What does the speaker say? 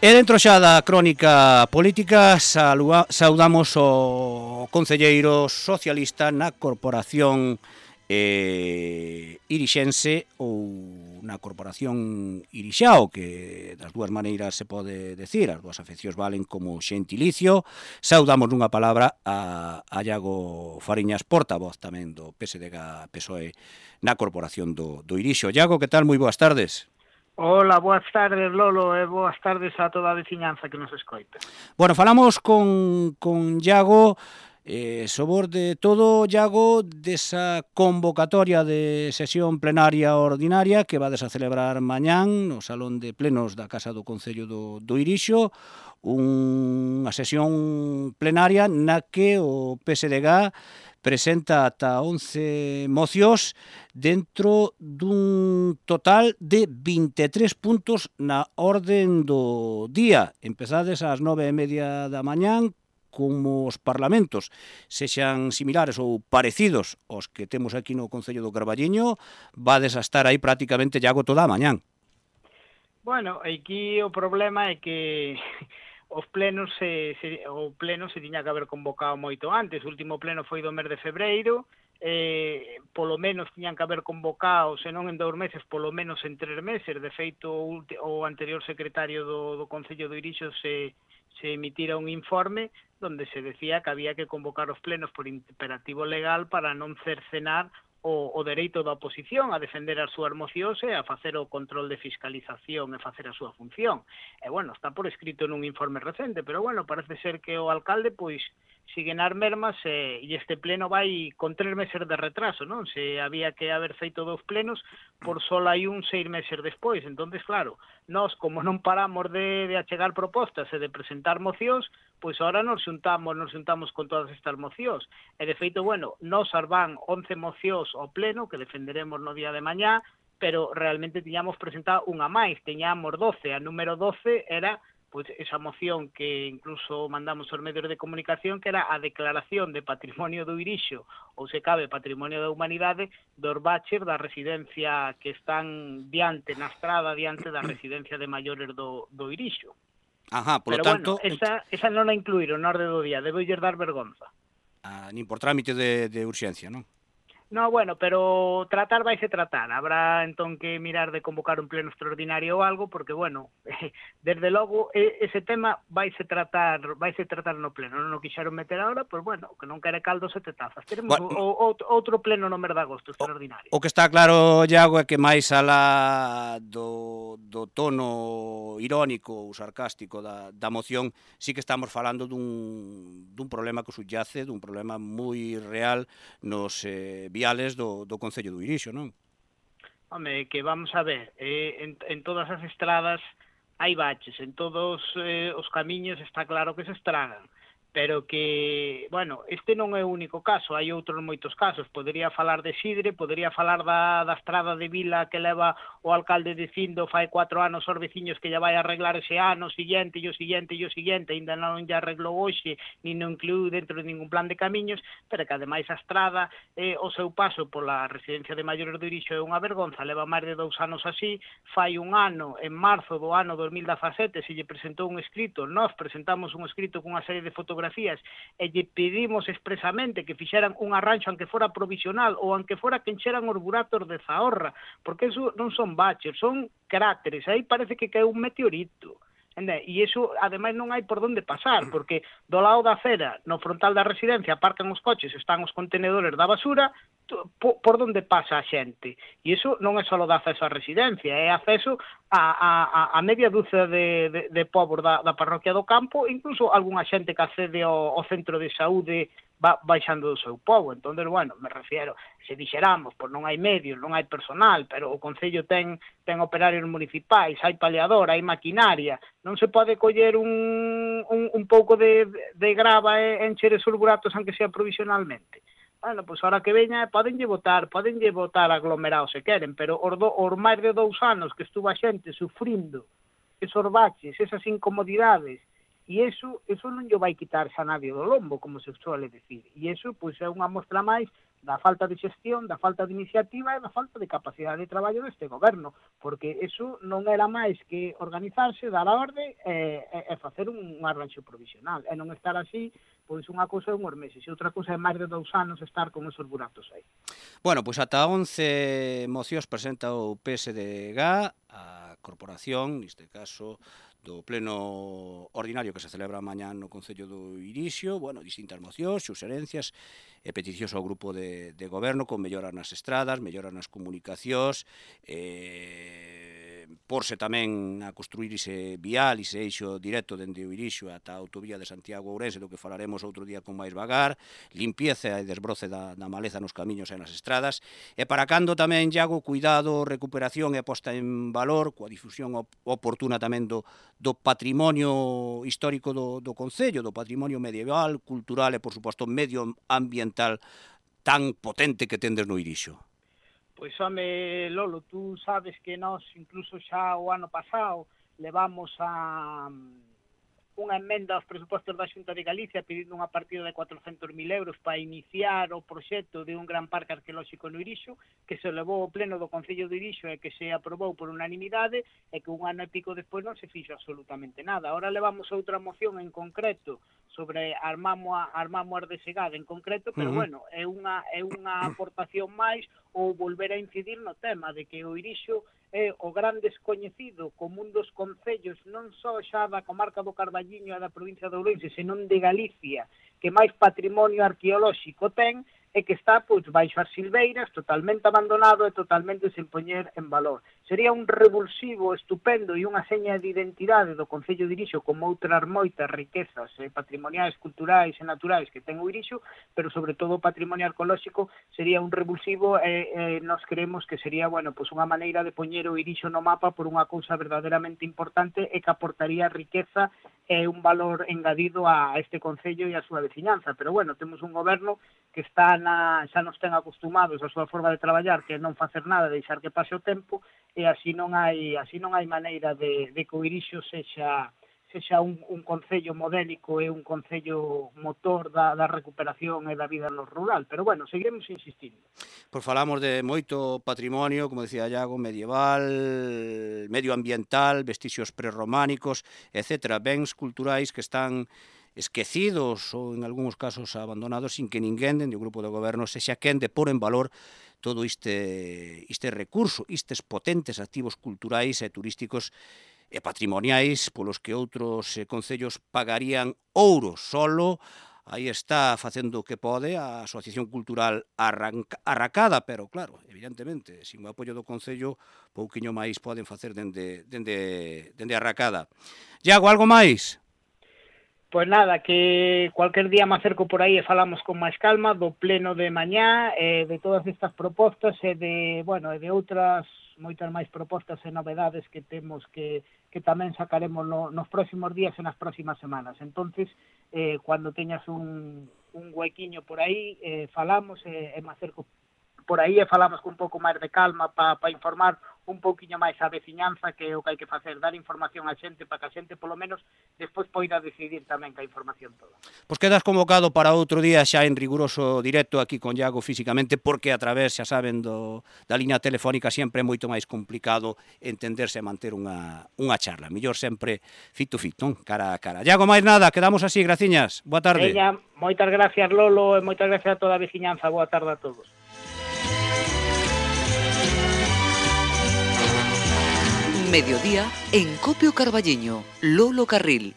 E dentro xa da crónica política saudamos o concelleiro socialista na Corporación Irixense ou na Corporación Irixao, que das dúas maneiras se pode decir, as dúas afeccións valen como xentilicio. Saudamos nunha palabra a Iago Fariñas, portavoz tamén do PSDG-PSOE na Corporación do Irixo. Iago, que tal? Moi boas tardes. Hola, boas tardes, Lolo, e boas tardes a toda a veciñanza que nos escoita. Bueno, falamos con Iago, sobre todo, Iago, desa convocatoria de sesión plenaria ordinaria que vades a celebrar mañán no Salón de Plenos da Casa do Concello do Irixo, unha sesión plenaria na que o PSDG presenta ata 11 mocións dentro dun total de 23 puntos na orden do día. Empezades ás 9:30 da mañán, como os parlamentos sexan similares ou parecidos aos que temos aquí no Concello do Carballiño, vades a estar aí prácticamente Iago toda a mañán. Bueno, aquí o problema é que o pleno se tiña que haber convocado moito antes. O último pleno foi do mes de febreiro, polo menos tiñan que haber convocado, se non en 2 meses, polo menos en 3 meses. De feito, o anterior secretario do Concello do Irixo se emitira un informe donde se decía que había que convocar os plenos por imperativo legal para non cercenar o dereito da oposición a defender as súas mocións e a facer o control de fiscalización e facer a súa función. E, bueno, está por escrito nun informe recente, pero, bueno, parece ser que o alcalde, pois, sigue nas mermas e este pleno vai con 3 meses de retraso, non? Se había que haber feito 2 plenos, por só hai 6 meses despois. Entonces, claro, nós, como non paramos de achegar propostas e de presentar mocións, pois agora nos xuntamos con todas estas mocións. E, de feito, bueno, nos van 11 mocións ao pleno, que defenderemos no día de mañá, pero realmente tiñamos presentado unha máis, tiñamos 12. A número 12 era pois esa moción que incluso mandamos aos medios de comunicación, que era a declaración de patrimonio do Irixo, ou se cabe patrimonio da humanidade, dos baches da residencia que están diante na estrada, diante da residencia de maiores do Irixo. Ajá, pero tanto... Bueno, esa non a incluíron na orde do día, debeulle dar vergonza. Nin por trámite de urxencia, non? No, bueno, pero tratar vaise tratar. Habrá entón que mirar de convocar un pleno extraordinario ou algo, porque, bueno, desde logo, ese tema vaise tratar no pleno. Non o quixeron meter agora, pois, bueno, que non quere caldo sete tazas. Teremos outro pleno no mes de agosto extraordinario. O que está claro, Iago, é que máis alá do tono irónico ou sarcástico da moción, sí que estamos falando dun problema que subyace, dun problema moi real nos viales do Concello do Irixo, non? Home, que vamos a ver, en todas as estradas hai baches, en todos os camiños está claro que se estragan, pero que, bueno, este non é o único caso, hai outros moitos casos. Podería falar de Sidre, podería falar da estrada de Vila que leva o alcalde dicindo fai 4 anos aos veciños que lla vai arreglar ese ano, siguiente, e o siguiente, ainda non lla arreglou hoxe, nin non incluiu dentro de ningún plan de camiños, pero que ademais a estrada, o seu paso pola residencia de maiores do Irixo é unha vergonza, leva máis de 2 anos así. Fai un ano, en marzo do ano 2017, se lle presentou un escrito, nós presentamos un escrito cunha serie de fotografías e lle pedimos expresamente que fixeran un arranxo aunque fora provisional ou aunque fora que encheran os buratos de Zahorra, porque eso non son baches, son cráteres, aí parece que caeu un meteorito. E iso, ademais, non hai por onde pasar, porque do lado da acera, no frontal da residencia, aparcan os coches, están os contenedores da basura, por onde pasa a xente. E iso non é só de acceso á residencia, é acceso a media dúcia de povos da parroquia do Campo, incluso algunha xente que accede ao centro de saúde baixando do seu povo. Entón, bueno, me refiero, se dixeramos, pois non hai medios, non hai personal, pero o Concello ten operarios municipais, hai paliador, hai maquinaria, non se pode coller un pouco de grava e encher esos buratos aunque sea provisionalmente. Bueno, pois ahora que veña, podenlle votar aglomerados se queren, pero os máis de 2 anos que estuvo a xente sufrindo esos baches, esas incomodidades, e iso non lle vai quitar xa nadie do lombo, como se suele decir. E iso, pois, é unha mostra máis da falta de xestión, da falta de iniciativa e da falta de capacidade de traballo deste goberno, porque eso non era máis que organizarse, dar a orde e facer un arranxo provisional, e non estar así, pois unha cousa é unhos meses, e outra cousa é máis de 2 anos estar con esos buratos aí. Bueno, pois ata 11 mocións presenta o PSDG, a corporación, neste caso, do pleno ordinario que se celebra mañá no Concello do Irixio, bueno, distintas mocións, suxerencias e peticións ao grupo de goberno con melloras nas estradas, melloras nas comunicacións, porse tamén a construir ese vial, ese eixo directo dende o Irixio ata a autovía de Santiago Ourense, do que falaremos outro día con máis vagar, limpieza e desbroce da maleza nos camiños e nas estradas, e para cando tamén, Iago, cuidado, recuperación e posta en valor, coa difusión oportuna tamén do patrimonio histórico do Concello, do patrimonio medieval, cultural e, por suposto, medioambiental tan potente que tendes no Irixio. Pois, home, Lolo, tú sabes que nós, incluso xa o ano pasado, levamos a unha emenda aos presupostos da Xunta de Galicia pedindo unha partida de 400.000 euros para iniciar o proxecto de un gran parque arqueolóxico no Irixo, que se levou ao pleno do Concello do Irixo e que se aprobou por unanimidade e que un ano e pico despois non se fixo absolutamente nada. Ahora levamos outra moción en concreto sobre Armamos de Segada en concreto, pero bueno, é unha aportación máis ou volver a incidir no tema de que o Irixo é o gran descoñecido como un dos concellos non só xa da comarca do Carballiño e da provincia de Ourense, senón de Galicia, que máis patrimonio arqueolóxico ten e que está pois baixo as silveiras, totalmente abandonado e totalmente sen poñer en valor. Sería un revulsivo estupendo e unha seña de identidade do Concello de Irixo como outras moitas riquezas patrimoniais, culturais e naturais que ten o Irixo, pero sobre todo o patrimonio arqueolóxico sería un revulsivo e nós creemos que sería, bueno, pois unha maneira de poñer o Irixo no mapa por unha cousa verdadeiramente importante e que aportaría riqueza e un valor engadido a este Concello e a súa veciñanza. Pero bueno, temos un goberno que está xa nos ten acostumados a súa forma de traballar, que non facer nada, deixar que pase o tempo, e así non hai maneira de que o Irixo sexa un concello modélico e un concello motor da recuperación e da vida no rural. Pero bueno, seguiremos insistindo. Pois falamos de moito patrimonio, como decía Iago, medieval, medioambiental, vestixios prerrománicos, etc. Bens culturais que están esquecidos ou en algúns casos abandonados sin que ninguén dende o grupo de goberno sexa quen de pôr en valor todo este recurso, estes potentes activos culturais e turísticos e patrimoniais polos que outros concellos pagarían ouro solo. Aí está facendo o que pode a Asociación Cultural Arracada, pero claro, evidentemente, sin o apoio do Concello, pouquiño máis poden facer dende Arracada. Iago, algo máis? Pois nada, que cualquier día me acerco por aí e falamos con máis calma do pleno de mañá, de todas estas propostas e de outras moitas máis propostas e novedades que temos que tamén sacaremos nos próximos días e nas próximas semanas. Entonces, cando teñas un huequiño por aí, falamos e me acerco por aí e falamos con un pouco máis de calma para informar un pouquiño máis a veciñanza, que é o que hai que facer, dar información á xente para que a xente polo menos despois poida decidir tamén que a información toda. Pois quedas convocado para outro día xa en riguroso directo aquí con Iago físicamente, porque a través, xa saben, da liña telefónica sempre é moito máis complicado entenderse e manter unha charla. Mellor sempre fit to fit, non? Cara a cara. Iago, máis nada, quedamos así, graciñas. Boa tarde. Veña, moitas gracias, Lolo, e moitas gracias a toda a veciñanza. Boa tarde a todos. Mediodía en Copio Carballiño, Lolo Carril.